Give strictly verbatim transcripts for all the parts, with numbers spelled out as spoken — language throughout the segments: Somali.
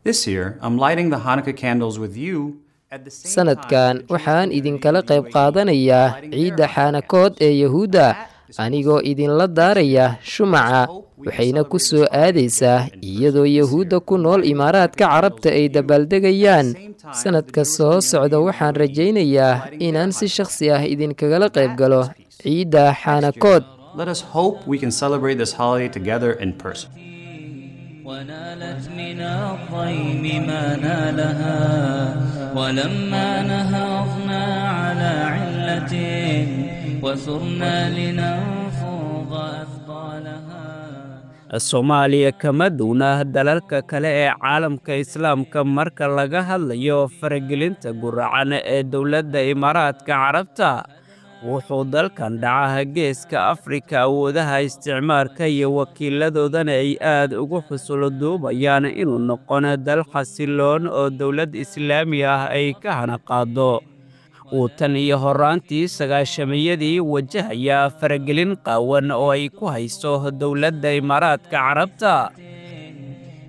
This year, I'm lighting the Hanukkah candles with you at the same time Sanadkan the Jewish waxaan community idinkala in the qayb U A E qaadanayaa is lighting their ciidda Hanukkah xaanakood candles. ee Yahuudda, anigoo idinla daaraya shumaca, waxayna ku soo aadaysaa iyadoo Yahuudda ku nool Imaaraadka Carabta ay dabaaldegayaan. Sanadka soo socda waxaan rajaynayaa inaan si shakhsi ah idinkagala qayb galo ciidda xaanakood. Let us hope we can celebrate this holiday together in person. ونالت من الضيم ما نالها، ولما نهضنا على علة وثرنا لننفض أثقالها. Soomaaliya kama duwana dalalka kale ee caalamka Islaamka marka laga hadlayo faragelinta guracan ee dowladda Imaaraadka Carabta. Wuxuu dalkan dhaca Geeska Afrika, awoodaha isticmaarka iyo wakiiladoodana ay aad ugu xusulo duubayaan inuu noqon dal xasiloon oo dowlad Islaami ah ay ka hanaqaado. Uu tan iyo horraantii sagaashameeyadii wajahaya faragelin qaawan oo ay ku hayso dowladda Imaaraadka Carabta.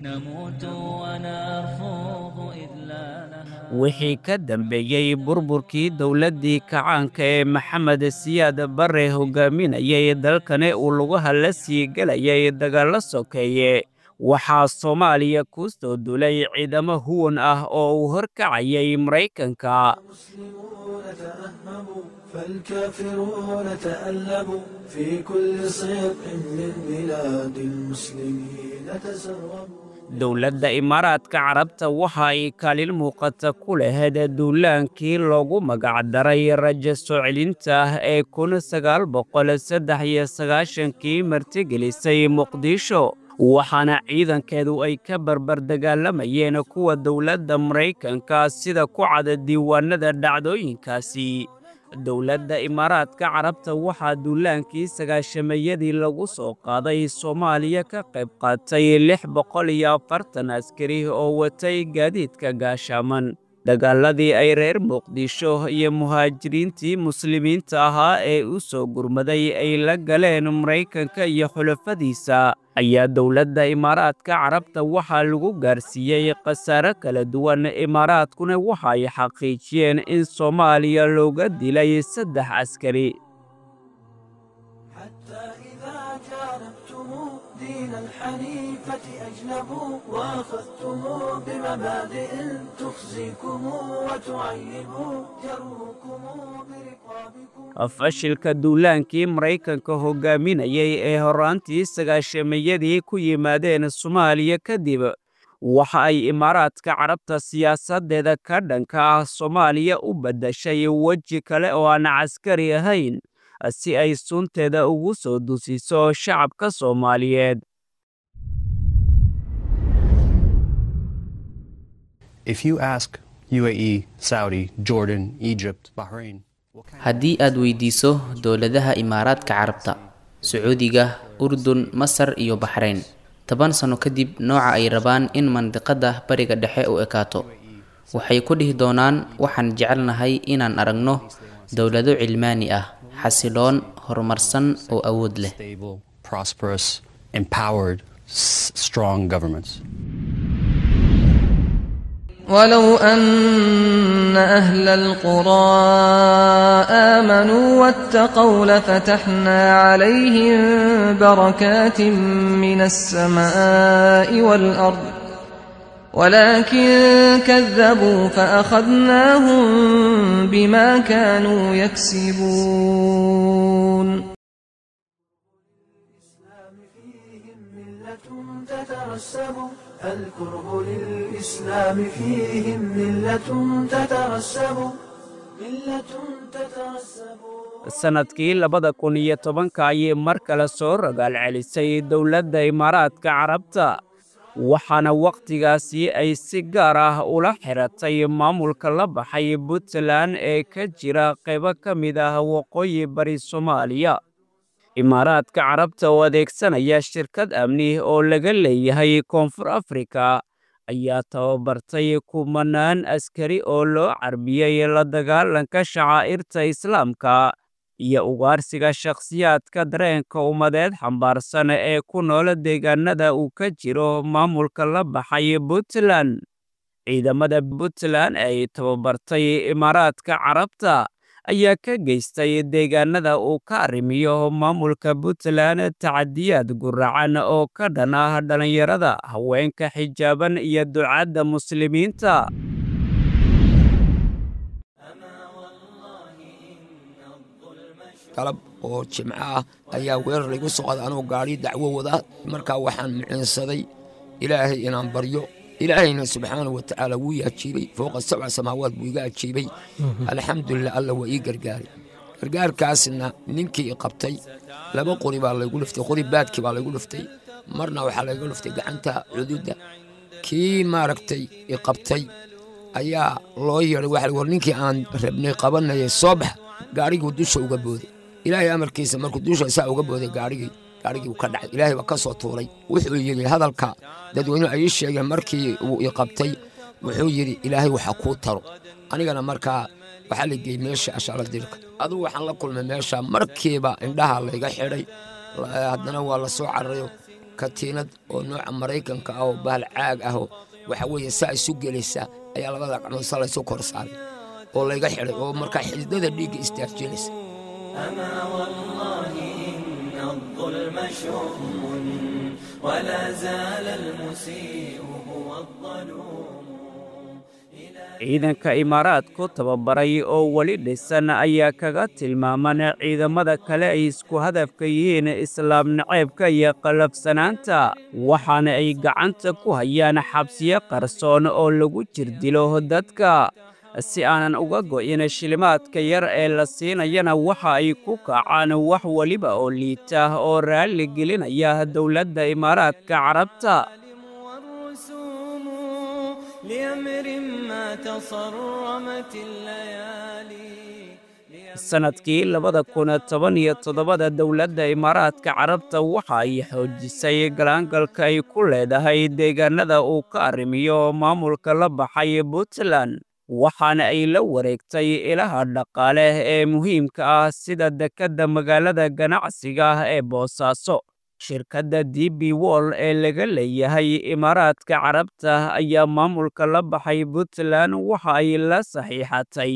نموت ونرفض إذلالها. Wixii ka dambeeyey burburkii dowladdii kacaanka ee Maxamed Siyaad Barre hogaaminayay, dalkani uu lugaha la sii gelayay dagaallo sokeeye, waxaa Soomaaliya ku soo duulay ciidamo huwan ah oo uu horkacayay Maraykanka. المسلمون تأهبوا، فالكافرون تألبوا، في كل صدق من بلاد المسلمين تسربوا. Dowladda Imaaraadka Carabta waxa ay kaalin muuqata ku lahayd duulaankii loogu magacdaray rajo soo celinta ee kun sagaal boqol saddex iyo sagaashankii martigelisay Muqdisho, waxaana ciidankeedu ay ka barbar dagaalamayeen kuwa dowladda Maraykanka, sida ku cad diiwaanada dhacdooyinkaasi. Dowladda Imaaraadka Carabta waxaa duulaankii sagaashameeyadii lagu soo qaaday Soomaaliya ka qayb qaatay lix boqol iyo afartan askari oo watay gaadiidka gaashaaman. Dagaaladii ay reer Muqdisho iyo muhaajiriintii Muslimiinta ahaa ee u soo gurmaday ay la galeen Maraykanka iyo xulafadiisa ayaa dowladda Imaaraadka Carabta waxaa lagu gaarsiiyey khasaare kala duwan. Imaaraadkuna waxa ay xaqiijiyeen in Soomaaliya looga dilay saddex askari. حتى إذا جانبتم دين الحنيفة أجنبوا، وأخذتم بمبادئ تخزيكم وتعيب، جروكم برقابكم. Fashilka duulaankii Maraykanka hogaaminayay ee horraantii sagaashameeyadii ku yimaadeen Soomaaliya kadib, waxa ay Imaaraadka Carabta siyaasaddeeda ka dhanka ah Soomaaliya u beddeshay weji kale oo aan caskari ahayn, si ay sunteeda ugu soo dusiso shacabka Soomaaliyeed. If you ask U A E, Saudi, Jordan, Egypt, Bahrain, Haddii aad weydiiso dowladaha Imaaraadka Carabta, Sacuudiga, Urdun, Masar iyo Baxrayn toban sano kadib nooca ay rabaan in mandiqada Bariga Dhexe u ekaato, waxay ku dhihi doonaan: waxaan jecelnahay inaan aragno dowlado cilmaani ah, xasiloon, horumarsan oo awood leh. Stable, prosperous, empowered, s- strong governments. ولو أن أهل القرى آمنوا واتقوا لفتحنا عليهم بركات من السماء والأرض، ولكن كذبوا فأخذناهم بما كانوا يكسبون. الإسلام فيهم ملة تترسب، الكره للإسلام فيهم ملة تترسب، ملة تترسب. Sanadkii labada kun iyo tobanka ayay mar kale soo rogaal celisay dowladda Imaaraadka Carabta, waxaana wakhtigaasi ay si gaar ah ula xiratay maamulka la baxay Puntland ee ka jira qaybo ka mid ah waqooyi bari Soomaaliya. Imaaraadka Carabta oo adeegsanaya shirkad amni oo laga leeyahay Koonfur Afrika ayaa tababartay kumanaan askari oo loo carbiyey la dagaalanka shacaa'irta Islaamka. iyo ugaarsiga shakhsiyaadka dareenka ummadeed xambaarsan ee ku nool deegaanada uu ka jiro maamulka la baxay Puntland. Ciidamada Puntland ay tababartay Imaaraadka Carabta ayaa ka geystay deegaanada uu ka arrimiyo maamulka Puntland tacadiyaad guracan oo ka dhan ah dhalinyarada, haweenka xijaaban iyo ducaadda muslimiinta. Galab oo jimco ah ayaa weerar igu socda anuu gaadhi dacwo wada. Markaa waxaan muciinsaday Ilaahay inaan baryo. Ilaahayna subxaanahu wa tacaala wuu i ajiibay, fooqa sabca samaawaad buu iga ajiibay. Alxamdulilah, Alla waa ii gargaaray. Gargaarkaasna ninkii i qabtay laba qori baa laygu dhuftay, qori baadkii baa laygu dhuftay, marna waxaa layga dhuftay gacanta cududa. Kii maaragtay i qabtay ayaa loo yeedhay, waxa war ninkii aan rabnay qabanayay soo bax. Gaariguu dusha uga booday. Ilaahay amarkiisa markuu dusha saa uga booday gaarigii, gaarigii uu ka dhacay, Ilaahay baa ka soo tuuray. Wuxuu yidhi hadalka dadweynuhu ay ii sheegeen markii uu i qabtay, wuxuu yidhi Ilaahay waxa kuu taro. Anigana markaa waxaa la geeyey meesha ashaala dilka. Adugu waxaan la kulmay meesha markiiba indhaha layga xidhay, haddana waa la soo cararayo katiinad oo nooca Maraykanka ah oo bahal caag ah oo waxa weeye saa isu gelaysa ayaa labada gacmood saa laysu kor saaray oo layga xidhay oo markaa xididada dhiigga istaarjinaysa. أما والله إن الظلم شؤم ولا زال المسيء هو الظلوم. Ciidanka Imaaraadku tababaray oo weli dhisan ayaa kaga tilmaaman ciidamada kale ay isku hadafka yihiin islaam naceebka iyo qalafsanaanta, waxaana ay gacanta ku hayaan xabsiyo qarsoon oo lagu jirdilo dadka si aanan uga go'in shilimaadka yar ee la siinayana. Waxa ay ku kacaan wax weliba oo liita oo raalli gelinaya dowladda Imaaraadka Carabta. والرسوم لأمر ما تصرمت الليالي. Sanadkii labada kun toban iyo toddobada dowladda Imaaraadka Carabta waxa ay xoojisay galaangalka ay ku leedahay deegaanada uu ka arrimiyo maamulka la baxay Puntland, waxaana ay la wareegtay ilaha dhaqaale ee muhiimka ah sida dekedda magaalada ganacsiga ee Boosaaso. Shirkadda D P World ee laga leeyahay Imaaraadka Carabta ayaa maamulka la baxay Puntland waxa ay la saxiixatay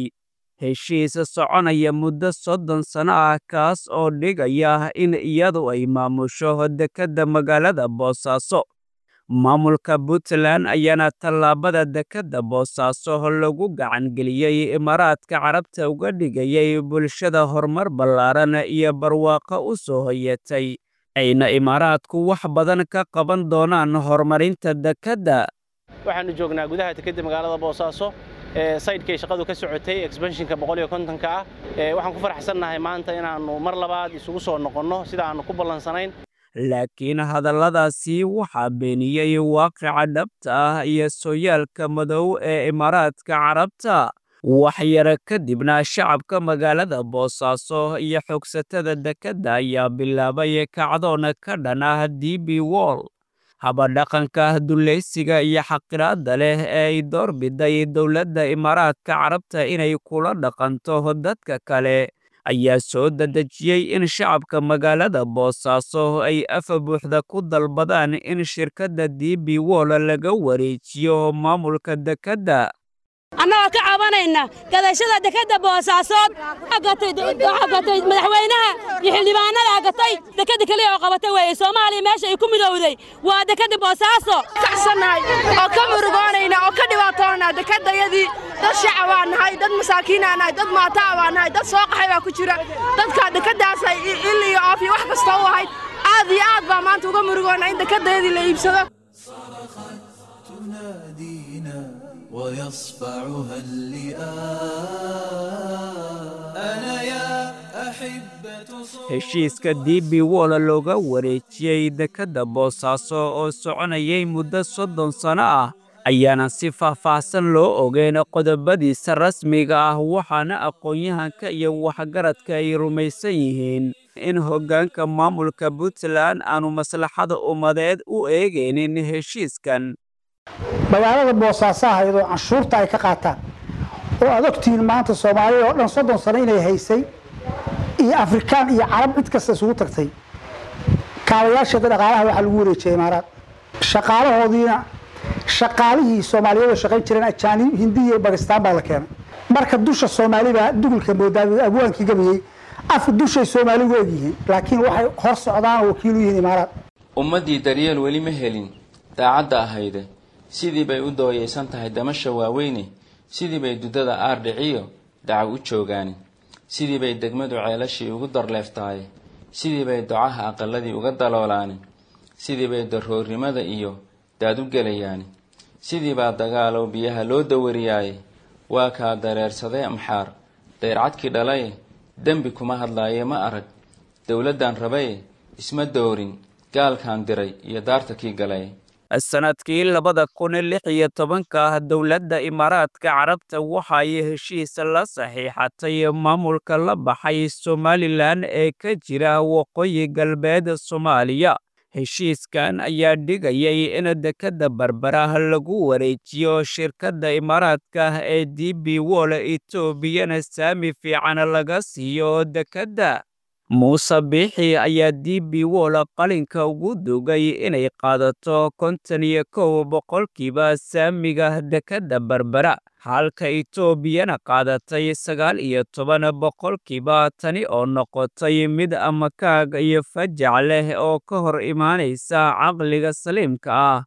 heshiis soconaya muddo soddon sano ah, kaas oo dhigaya in iyadu ay maamusho dekedda magaalada Boosaaso. Maamulka Puntland ayaana tallaabada dekedda Boosaaso lagu gacan geliyey Imaaraadka Carabta uga dhigayay bulshada horumar ballaaran iyo barwaaqo u soo hoyatay, ayna Imaaraadku wax badan ka qaban doonaan horumarinta dekedda. Waxaanu joognaa gudaha dekedda magaalada Boosaaso, site-kay shaqadu ka socotay expansionka boqol iyo kontonka ah. Waxaan ku faraxsannahay maanta inaannu mar labaad isugu soo noqonno sida aanu ku ballansanayn. Laakiin hadalladaasi waxaa beeniyey waaqica dhabta ah iyo sooyaalka madow ee Imaaraadka Carabta. Wax yar kadibna shacabka magaalada Boosaaso iyo xogsatada dekedda ayaa bilaabay kacdoon ka dhan ah D P World. Habadhaqanka dulleysiga iyo xaqiraadda leh ee ay doorbiday dowladda Imaaraadka Carabta inay kula dhaqanto dadka kale ayaa soo dedejiyey in shacabka magaalada Boosaaso ay af buuxda ku dalbadaan in shirkadda D P World laga wareejiyo maamulka dekedda. Annagoo ka cabanayna gadashada dekadda Boosaasood, gatay madaxweynaha iyo xildhibaanada gatay dekadda keliya oo qabatay weeye. Soomaaliya meesha ay ku midowday waa dekadda Boosaaso. Kacsannahay oo ka murugoonayna oo ka dhibaatoonaa dekeddayadii. Dad shacab baa nahay, dad masaakiinaa nahay, dad maataa baa nahay, dad soo qaxay baa ku jira. Dadka dekeddaasay il iyo oof iyo wax kasta u ahayd. Aad iyo aad baa maanta uga murugoonaa in dekeddayadii la iibsado. تنادينا ويصفعها اللئام أنا يا أحبة. Heshiiska D P World looga wareejiyey dekedda Boosaaso oo soconayay muddo soddon sano ah ayaana si faahfaahsan loo ogeyn qodobadiisa rasmiga ah, waxaana aqoon-yahanka iyo waxgaradka ay rumaysan yihiin in hoggaanka maamulka Puntland aanu maslaxada ummadeed u eegaynin heshiiskan. Magaalada Boosaaso ahayd oo canshuurta ay ka qaataan oo aad ogtihiin maanta Soomaalida oo dhan soddon sano inay haysay. Iyo Afrikaan iyo Carab cid kasta isugu tagtay, kaabayaasheeda dhaqaalaha waxaa lagu wareejiyay Imaaraad. Shaqaalahoodiina, shaqaalihii Soomaaliyeed oo shaqayn jireen, ajaanib Hindi iyo Bakistaan baa la keenay. Marka dusha Soomaali baa dugulka moodaa, abwaankii gabayey af dushay Soomaaligu egyihiin, laakiin waxay hor socdaan oo wakiil u yihiin Imaaraad. Ummaddii daryeel weli ma helin daacadda ahayde, sidii bay u dooyeysan tahay damasha waaweyne, sidii bay dudada aardhiciyo dacaw u joogaani, sidii bay degmadu ceelashii ugu darleeftahay, sidii bay docaha aqaladii uga daloolaani, sidii bay daroornimada iyo daad u gelayaani, sidii baa dagaalow biyaha loo dawariyaaye. Waa kaa dareersaday Amxaar dayrcadkii dhalaye, dembi kuma hadlaaye ma arag dowladdan rabaye, isma doorin gaalkan diray iyo daarta kii galay. Sanadkii labada kun lix iyo tobanka, dowladda Imaaraadka Carabta waxay heshiis la saxiixatay maamulka la baxay Somalilan ee ka jira waqooyi galbeed Soomaaliya. Heshiiskan ayaa dhigayay in dekedda Berbera lagu wareejiyo shirkadda Imaaraadka ee D P World, Etoobiyana saami fiican laga siiyo dekedda. Muuse Biixi ayaa D P World qalinka ugu duugay inay qaadato konton iyo kow boqolkiiba saamiga dekedda Berbera, halka Etoobiyana qaadatay sagaal iyo toban boqolkiiba. Tani oo noqotay mid amakaag iyo fajac leh oo ka hor imaanaysa caqliga saliimka ah.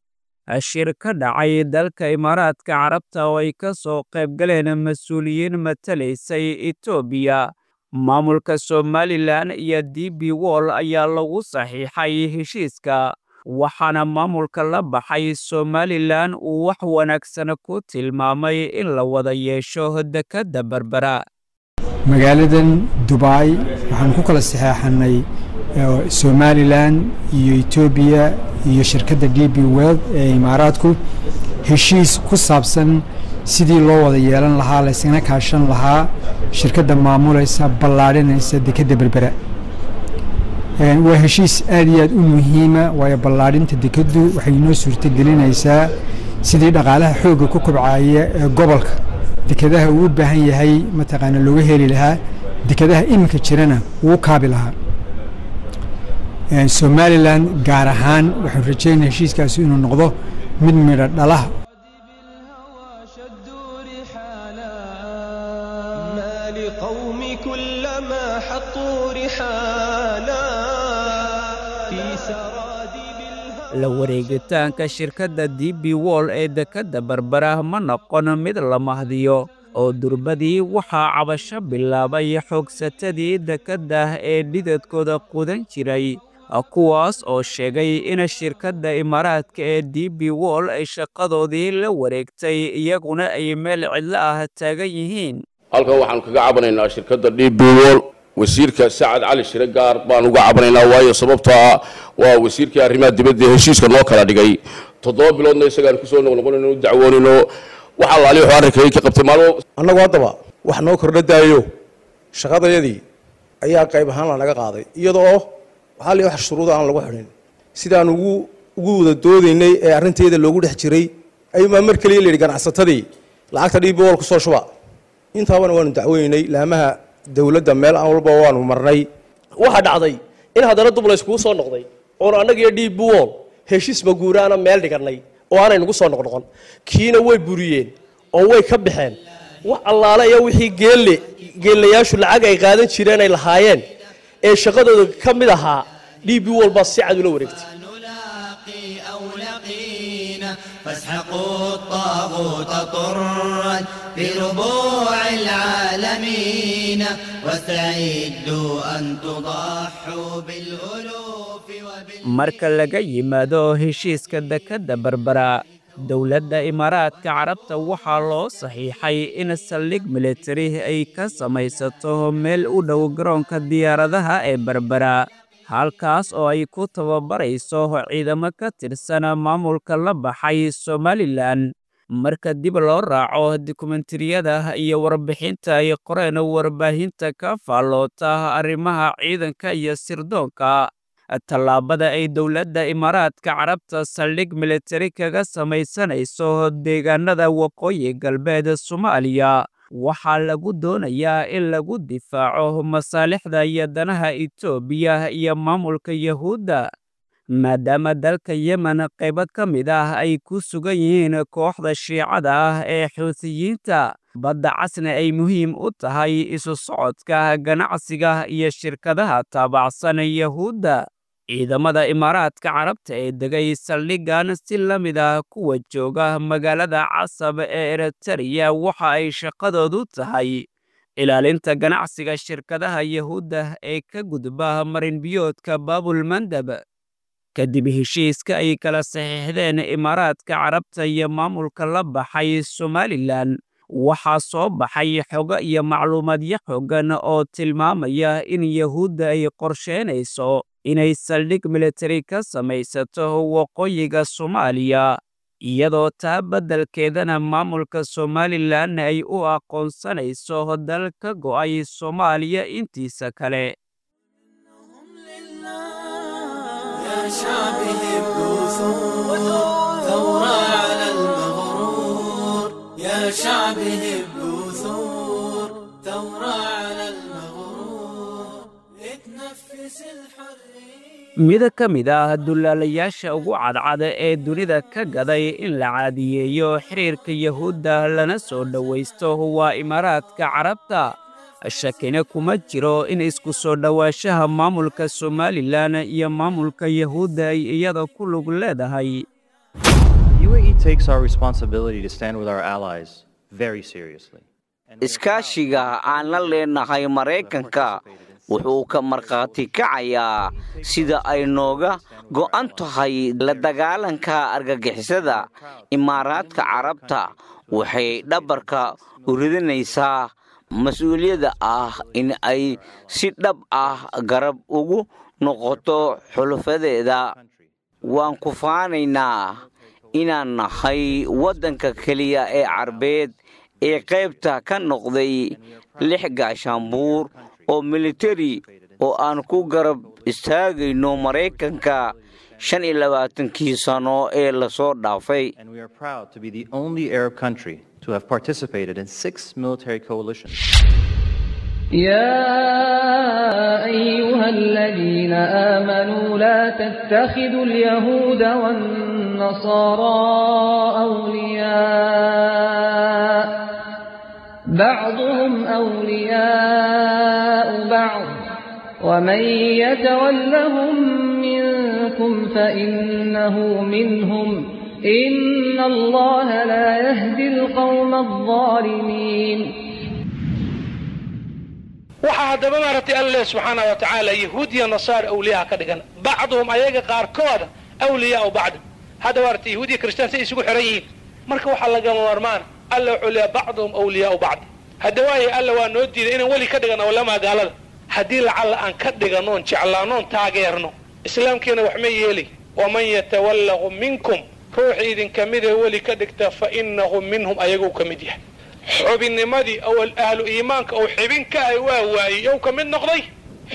Shir ka dhacay dalka Imaaraadka Carabta oo ay ka soo qayb galeen mas'uuliyiin matalaysay Itoobiya, maamulka Somalilan iyo D P World ayaa lagu saxiixay heshiiska, waxaana maamulka la baxay Somalilan uu wax wanaagsan ku tilmaamay in la wada yeesho dekedda Berbera. Magaaladan Dubai waxaan ku kala saxeexanay Somalilan iyo Etoobiya iyo shirkadda D P World ee Imaaraadku heshiis ku saabsan sidii loo wada yeelan lahaa, laysgana kaashan lahaa shirkadda maamulaysa ballaadhinaysa dekedda Berbera. Waa heshiis aad iyo aad u muhiima, waayo ballaadhinta dekeddu waxay inoo suurtagelinaysaa sidii dhaqaalaha xoogga ku kobcaya ee gobolka dekedaha uu u baahan yahay mataqaana looga heli lahaa, dekedaha iminka jirana wuu kaabi lahaa. Somalilan gaar ahaan waxaan rajeynaya heshiiskaasi inuu noqdo mid midho dhalaha. ما لقوم كلما حطوا رحالا في سراديب. La wareegitaanka shirkadda D P World ee dekedda Berbera ma noqon mid la mahdiyo, oo durbadii waxaa cabasho bilaabay xoogsatadii dekedda ee dhidadkooda qudan jiray, kuwaas oo sheegay in shirkadda Imaaraadka ee D P World ay shaqadoodii la wareegtay, iyaguna ay meel cidlo ah taagan yihiin. Halkan waxaanu kaga cabanaynaa shirkadda D P World. Wasiirka Sacad Cali Shire gaar baan uga cabanaynaa, waayo sababtaa waa wasiirkii arrimaha dibadda ee heshiiska noo kala dhigay. Toddoba biloodna isagaan kusoo noqnoqonayno, u dacwoonayno. Wax allaali wuxuu arrinkayga ka qabtay maalmo. Annagu haddaba wax noo kordha daayo, shaqadayadii ayaa qayb ahaan lanaga qaaday, iyada oo waxaa la wax shuruuda aan lagu xidhin. Sidaan ugu ugu wada doodaynay ee arrinteeda loogu dhex jiray ayuunbaa mar keliya la yidhi ganacsatadii lacagta D P World kusoo shuba. Intaabana waanu dacweynay, laamaha dowladda meel aan walba waanu marnay. Waxaa dhacday in haddana dub layskugu soo noqday oon annaga iyo D P World heshiis maguuraana meel dhiganay oo aanay nagu soo noqnoqon. Kiina way buriyeen oo way ka baxeen. Wax allaale iyo wixii geelle geellayaashu lacag ay qaadan jireen ay lahaayeen ee shaqadooda ka mid ahaa, D P World baa si cad ula wareegtay. فاسحقوا الطاغوت طرا في ربوع العالمين واستعدوا أن تضحوا بالألوف. Marka laga yimaado heshiiska dekedda Berbera, dowladda Imaaraadka Carabta waxaa loo saxiixay in saldhig militari ay ka samaysato meel u dhow garoonka diyaaradaha ee Berbera, halkaas oo ay ku tababarayso ciidamo ka tirsan maamulka la baxay Somalilan. Marka dib loo raaco dukumentariyada iyo warbixinta ay qoreen warbaahinta ka faalloota arrimaha ciidanka iyo sirdoonka, tallaabada ay dowladda Imaaraadka Carabta saldhig militari kaga samaysanayso deegaanada waqooyi galbeed Soomaaliya. Waxaa lagu doonayaa in lagu difaaco masaalixda iyo danaha Itoobiya iyo maamulka Yahuudda, maadaama dalka Yemen qaybo ka mid ah ay ku sugan yihiin kooxda Shiicada ah ee Xuuthiyiinta. Badda Casna ay muhiim u tahay isu socodka ganacsiga iyo shirkadaha taabacsan Yahuudda. Ciidamada Imaaraadka Carabta ee degay saldhiggan si la mid ah kuwa jooga magaalada Casab ee Eritrea waxa ay shaqadoodu tahay ilaalinta ganacsiga shirkadaha Yahuudda ee ka gudba marin-biyoodka Baabul Mandab. Kadib heshiiska ay kala saxiixdeen Imaaraadka Carabta iyo maamulka la baxay Somalilan, waxaa soo baxay xogo iyo macluumaadyo xooggan oo tilmaamaya in Yahuudda ay qorsheynayso inay saldhig militari ka samaysato waqooyiga Soomaaliya, iyadoo taa beddelkeedana maamulka Somalilan ay u aqoonsanayso dal ka go'ay Soomaaliya intiisa kale. يا شعبي هبوا ثور، ثورة على المغرور. يا شعبي هبوا ثور، ثورة على المغرور. اتنفس الحرية. Mid ka mid ah dullaalayaasha ugu cadcad ee dunida ka gaday in la caadiyeeyo xiriirka Yahuudda lana soo dhowaysto waa Imaaraadka Carabta. Shakina kuma jiro in isku soo dhowaanshaha maamulka Somalilan iyo maamulka Yahuudda ay iyada ku lug leedahay. U A E takes our responsibility to stand with our allies very seriously. Iskaashiga aan la leenahay Maraykanka wuxuu ka markhaati kacayaa sida ay nooga go'an tahay la dagaalanka argagixisada. Imaaraadka Carabta waxay dhabarka u ridanaysaa mas-uuliyadda ah in ay si dhab ah garab ugu noqoto xulafadeeda. Waan ku faanaynaa inaan nahay waddanka keliya ee Carbeed ee qaybta ka noqday lix gaashaanbuur oo militari oo aan ku garab istaagayno Maraykanka shan iyo labaatankii sano ee lasoo dhaafay. And we are proud to be the only Arab country to have participated in six military coalitions. يا أيها الذين آمنوا، لا تتخذوا اليهود والنصارى أولياء، بعضهم أولياء بعض، ومن يتولهم منكم فإنه منهم، إن الله لا يهدي القوم الظالمين. Waxaa haddaba maaragtay Alle subxaana wa tacaala Yahuud iyo Nasaar awliyaha ka dhigan, bacduhum ayaga qaarkooda awliyaau bacd. Hadda maaragtay Yahuud iyo Kristaan say isugu xiran yihiin. Marka waxaa lagama maarmaan, Alle wuxuu leeyahay bacduhum awliyaau bacd. Hadda waaye Alle waa noo diiday inaan weli ka dhigan awlamaa gaalada. Haddii lacalla aan ka dhiganoon jeclaanoon taageerno, islaamkiina wax ma yeeli. Waman yatawallahu minkum, ruuxii idinka midee weli ka dhigta, fa innahu minhum, ayaguu ka mid yahay. Xubinnimadii awal ahlu iimaanka uu xibin ka ahay waa waayey, ou ka mid noqday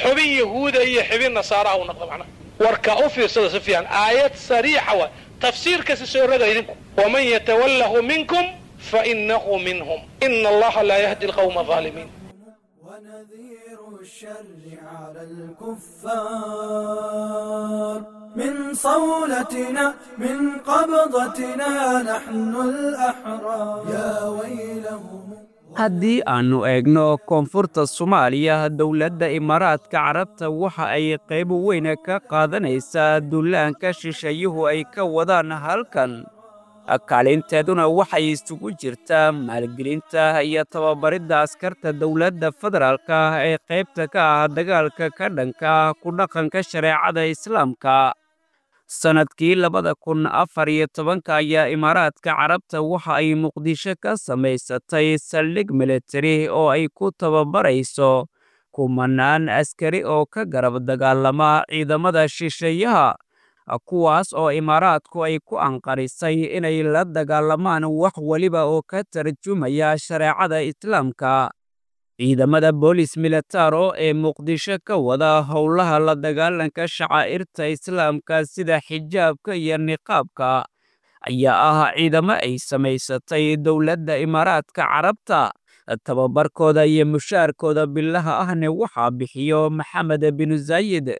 xubin Yahuuda iyo xibin Nasaaraha u noqda. Macnaha warka u fiirsada si fiican, aayad sariixa waa tafsiirkasi soo roga idinku. Waman yatawallahu minkum fa innahu minhum, ina Allaha laa yahdi alqawma aalimiin. ونذير الشر على الكفار، من صولتنا، من قبضتنا، نحن الأحرار، يا ويلهم. Haddii aannu eegno koonfurta Soomaaliya, dowladda Imaaraadka Carabta waxa ay qayb weyn ka qaadanaysaa dullaanka shisheeyuhu ay ka wadaan halkan. Kaalinteeduna waxay isugu jirtaa maalgelinta iyo tababaridda askarta dowladda federaalka ee qaybta ka ah dagaalka ka dhanka ah ku dhaqanka shareecada Islaamka. Sannadkii labada kun afar iyo tobanka ayaa Imaaraadka Carabta waxa ay Muqdisho ka samaysatay saldhig militari oo ay ku tababarayso kumanaan askari oo ka garab dagaalama ciidamada shisheeyaha, kuwaas oo Imaaraadku ay ku anqarisay inay la dagaalamaan wax waliba oo ka tarjumaya shareecada Islaamka. Ciidamada Boolis Militaro ee Muqdisho ka wada howlaha la dagaalanka shacaa'irta Islaamka sida xijaabka iyo niqaabka ayaa ah ciidamo ay samaysatay dowladda Imaaraadka Carabta. Tababarkooda iyo mushaarkooda bilaha ahna waxaa bixiyo Maxamed bin Zaayid.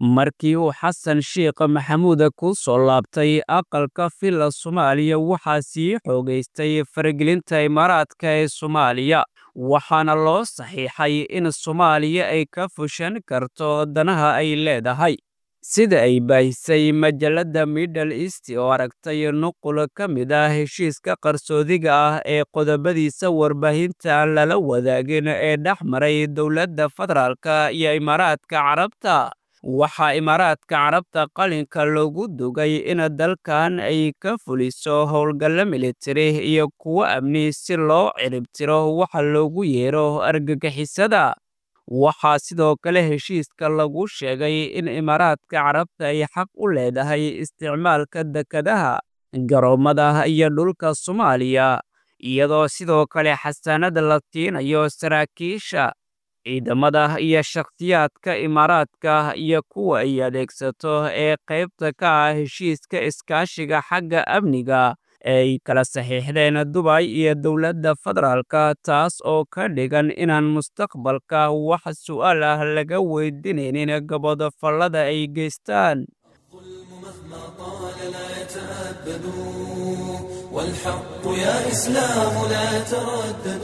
Markii uu Xasan Sheikh Maxamuud ku soo laabtay aqalka Villa Soomaaliya, waxaa sii xoogaystay faragelinta Imaaraadka ee Soomaaliya, waxaana loo saxiixay in Soomaaliya ay ka fushan karto danaha ay leedahay. Sida ay baahisay majalladda Middle East oo aragtay nuqul ka mid ah heshiiska qarsoodiga ah ee qodobadiisa warbaahinta aan lala wadaagin ee dhex maray dowladda federaalka iyo Imaaraadka Carabta. Waxaa Imaaraadka Carabta qalinka loogu dugay in dalkan ay ka fuliso howlgallo militari iyo kuwo amni si loo ciribtiro waxa loogu yeero argagixisada. Waxaa sidoo kale heshiiska lagu sheegay in Imaaraadka Carabta ay xaq u leedahay isticmaalka dekedaha, garoomada iyo dhulka Soomaaliya, iyadoo sidoo kale xasaanad la siinayo saraakiisha, ciidamada iyo shakhsiyaadka Imaaraadka iyo kuwa ay adeegsato ee qaybta ka ah heshiiska iskaashiga xagga amniga ee ay kala saxiixdeen Dubai iyo dowladda federaalka, taas oo ka dhigan inaan mustaqbalka wax su'aal ah laga weydiinaynin gabodfallada ay geystaan. والحق يا إسلام لا تردد.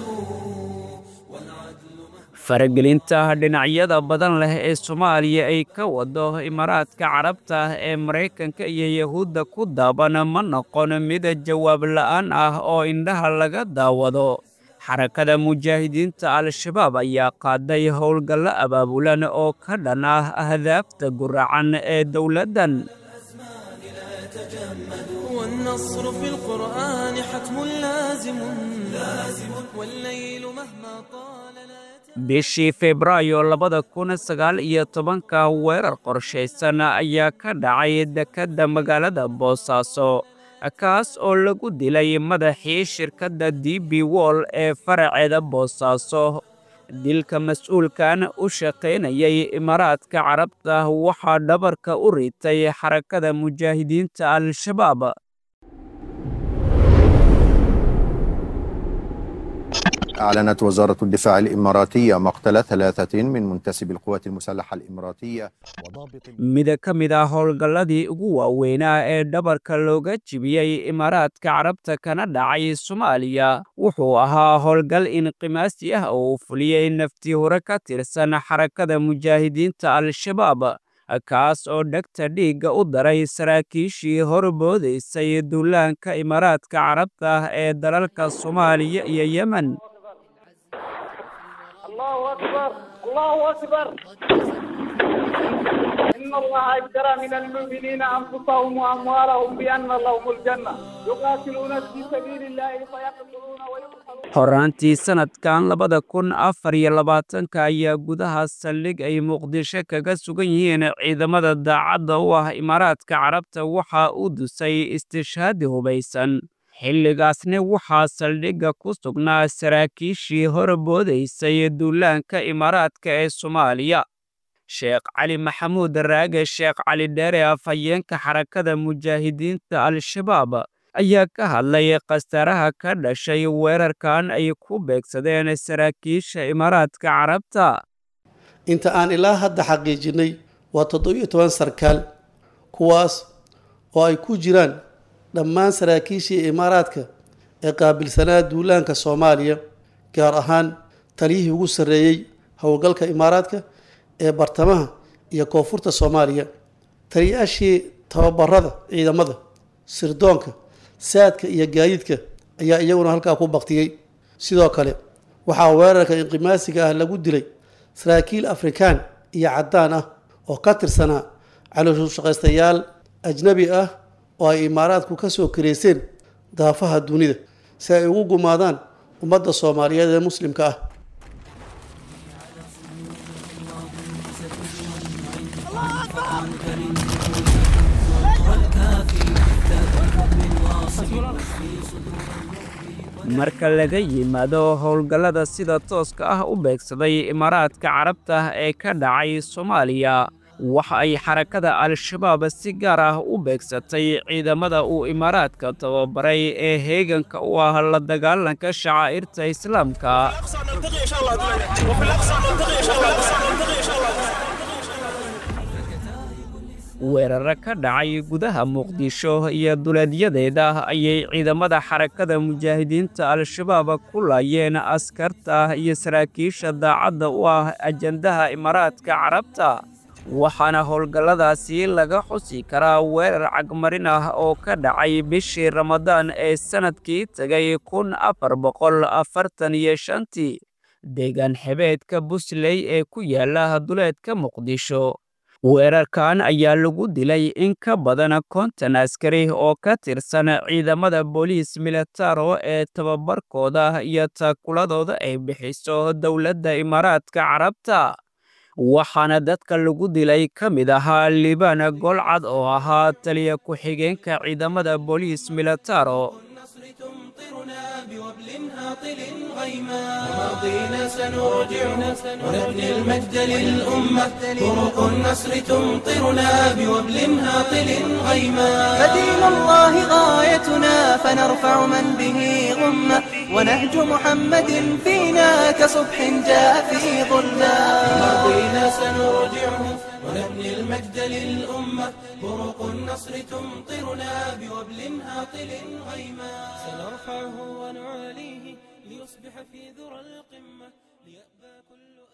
Faragelinta dhinacyada badan leh ee Soomaaliya ay ka wado Imaaraadka Carabta ee Maraykanka iyo Yahuudda ku daaban ma noqon mid jawaab la'aan ah oo indhaha laga daawado. Xarakada Mujaahidiinta Al-Shabaab ayaa qaaday howlgallo abaabulan oo ka dhan ah ahdaafta guracan ee dowladdan. والنصر في القرآن حتم لازم لازم والليل مهما طال. Bishii Febraayo labada kun sagaal iyo tobanka, weerar qorshaysan ayaa ka dhacay dekedda magaalada Boosaaso, kaas oo lagu dilay madaxii shirkadda D B Wall ee faraceeda Boosaaso. Dilka mas'uulkan u shaqaynayay Imaaraadka Carabta waxaa dhabarka u ritay Xarakada Mujaahidiinta Al-Shabaab. أعلنت وزارة الدفاع الإماراتية مقتل ثلاثة من منتسبي القوات المسلحة الإماراتية. Mid ka mid ah howlgalladii ugu waaweynaa ee dhabarka looga jibiyey Imaaraadka Carabta kana dhacay Soomaaliya wuxuu ahaa howlgal inqimaasi ah oo uu fuliyey naftii hore ka tirsan Xarakada Mujaahidiinta Al-Shabaab, kaas oo dhegta dhiigga u daray saraakiishii horboodaysay duulaanka Imaaraadka Carabta ee dalalka Soomaaliya iyo Yemen. الله أكبر، الله أكبر. إن الله اشترى من المؤمنين أنفسهم وأموالهم بأن لهم الجنة يقاتلون في سبيل الله فيقتلون ويقتلون. Horaantii sanadkan labada kun afar iyo labaatanka ayaa gudaha saldhig ay Muqdisho kaga sugan yihiin ciidamada daacadda u ah Imaaraadka Carabta waxa uu dusay istishhaadi hubaysan. Xilligaasna waxaa saldhigga ku sugnaa saraakiishii horboodaysay duulaanka Imaaraadka ee Soomaaliya. Sheekh Cali Maxamuud Raage Sheekh Cali Dheere, afhayeenka Xarakada Mujaahidiinta Al-Shabaab, ayaa ka hadlay khasaaraha ka dhashay weerarkan ay ku beegsadeen saraakiisha Imaaraadka Carabta. Inta aan ilaa hadda xaqiijinay waa toddobiyo toban sarkaal, kuwaas oo ay ku jiraan dhammaan saraakiishii Imaaraadka ee qaabilsanaa duulaanka Soomaaliya, gaar ahaan taliyihii ugu sarreeyey howlgalka Imaaraadka ee bartamaha iyo koonfurta Soomaaliya, taliyaashii tababarada ciidamada, sirdoonka, saadka iyo gaadiidka ayaa iyaguna halkaa ku baktiyey. Sidoo kale waxaa weerarka inqimaasiga ah lagu dilay saraakiil Afrikaan iyo caddaan ah oo ka tirsanaa calooshu-shaqaystayaal ajnabi ah oo ay Imaaraadku ka soo kareyseen daafaha dunida si ay ugu gumaadaan ummadda Soomaaliyeed ee muslimka ah. Marka laga yimaado howlgallada sida tooska ah u beegsaday Imaaraadka Carabta ee ka dhacay Soomaaliya, Waxa ay xarakada Al-Shabaab si gaar ah u beegsatay ciidamada uu Imaaraadka tababaray ee heeganka u ah la dagaalanka shacaa'irta Islaamka. Weeraro ka dhacay gudaha Muqdisho iyo duleedyadeeda ayay ciidamada xarakada mujaahidiinta Al-Shabaab ku laayeen askarta iyo saraakiisha daacadda u ah ajandaha Imaaraadka Carabta, waxaana howlgalladaasi laga xusi karaa weerar cagmarin ah oo ka dhacay bishii Ramadaan ee sanadkii tagay kun afar boqol afartan iyo shantii deegaan xebeedka Busley ee ku yaala duleedka Muqdisho. Weerarkan ayaa lagu dilay in ka badan konton askari oo ka tirsan ciidamada booliis militaro ee tababarkooda iyo taakuladooda ay bixiso dowladda Imaaraadka Carabta, waxaana dadka lagu dilay ka mid ahaa Liibaan Golcad oo ahaa taliya ku-xigeenka ciidamada booliis militaro. ماضينا سنرجعه ونبني المجد للأمة، طرق النصر تمطرنا بوبل هاطل غيما. فدين الله غايتنا فنرفع من به غمة، ونهج محمد فينا كصبح جاء في ظلمة. ماضينا سنرجعه ونبني المجد للأمة، طرق النصر تمطرنا بوبل هاطل غيما. سنرفعه ونعاليه ليصبح في ذرى القمة، ليأبى كل